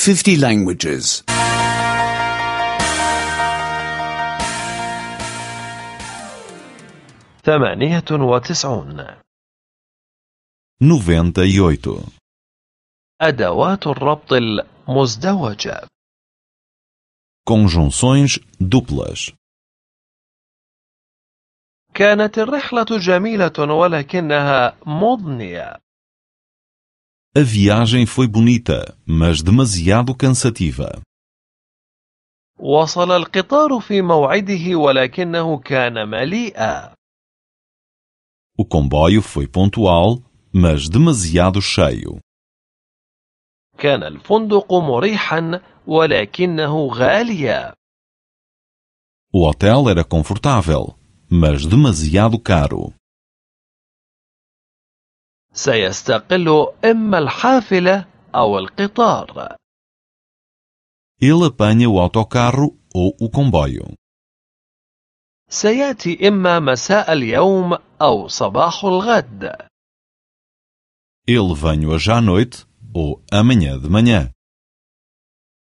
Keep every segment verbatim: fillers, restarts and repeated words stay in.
fifty languages. ثمانية وتسعون. noventa e oito. أدوات الربط المزدوجة. Conjunções duplas. كانت الرحلة جميلة ولكنها مضنية. A viagem foi bonita, mas demasiado cansativa. وصل القطار في موعده ولكنه كان مليئا. O comboio foi pontual, mas demasiado cheio. كان الفندق مريحا ولكنه غاليا. O hotel era confortável, mas demasiado caro. سيستقل إما الحافلة أو القطار. Ele apanha o autocarro ou o comboio. سيأتي إما مساء اليوم أو صباح الغد. Ele vem hoje à noite ou amanhã de manhã.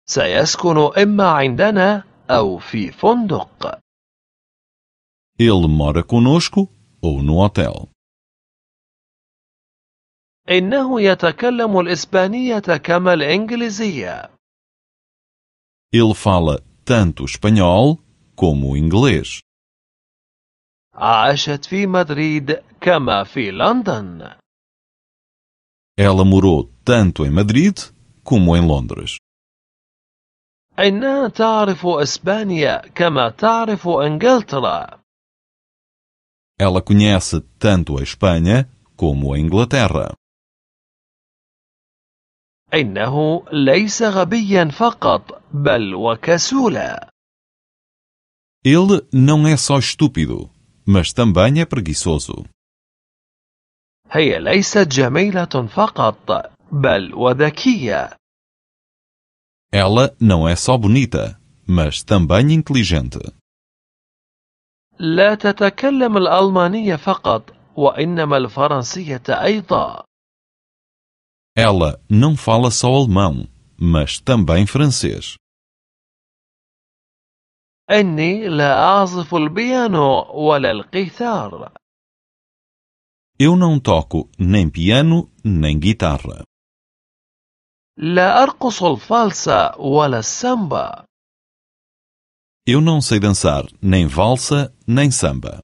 سيسكن إما عندنا أو في فندق. Ele mora conosco ou no hotel. إنه يتكلم الإسبانية كما الإنجليزية. Ele fala tanto espanhol como inglês. عاشت في مدريد كما في لندن. Ela morou tanto em Madrid como em Londres. إنها تعرف إسبانيا كما تعرف إنجلترا. Ela conhece tanto a Espanha como a Inglaterra. إنه ليس غبيا فقط بل وكسولا. Ele não é só estúpido, mas também é preguiçoso. هي ليست جميلة فقط بل وذكية. Ela não é só bonita, mas também inteligente. لا تتكلم الألمانية فقط وإنما الفرنسية أيضا. Ela não fala só alemão, mas também francês. إني لا أعزف البيانو ولا القيثار. Eu não toco nem piano nem guitarra. لا أرقص الفالسا ولا السامبا. Eu não sei dançar nem valsa nem samba.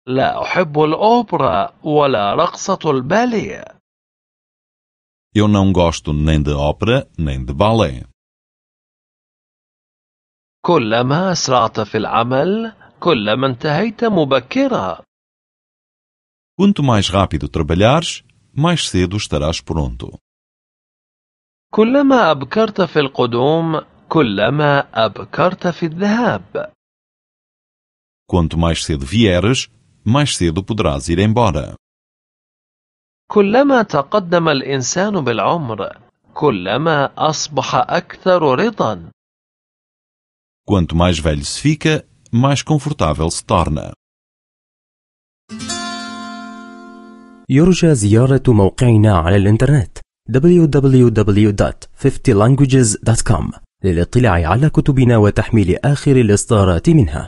لا أحب الأوبرا ولا رقصة الباليه. Eu não gosto nem de ópera nem de balé. كلما أسرعت في العمل كلما انتهيت مبكرا. Quanto mais rápido trabalhares, mais cedo estarás pronto. كلما أبكرت في القدوم كلما أبكرت في الذهاب. Quanto mais cedo vieres, mais cedo poderás ir embora. كلما تقدم الإنسان بالعمر كلما أصبح أكثر رضا. Quanto mais velho se fica, mais confortável se torna. يرجى زيارة موقعنا على الإنترنت دبليو دبليو دبليو دوت fifty languages دوت كوم للاطلاع على كتبنا وتحميل آخر الإصدارات منها.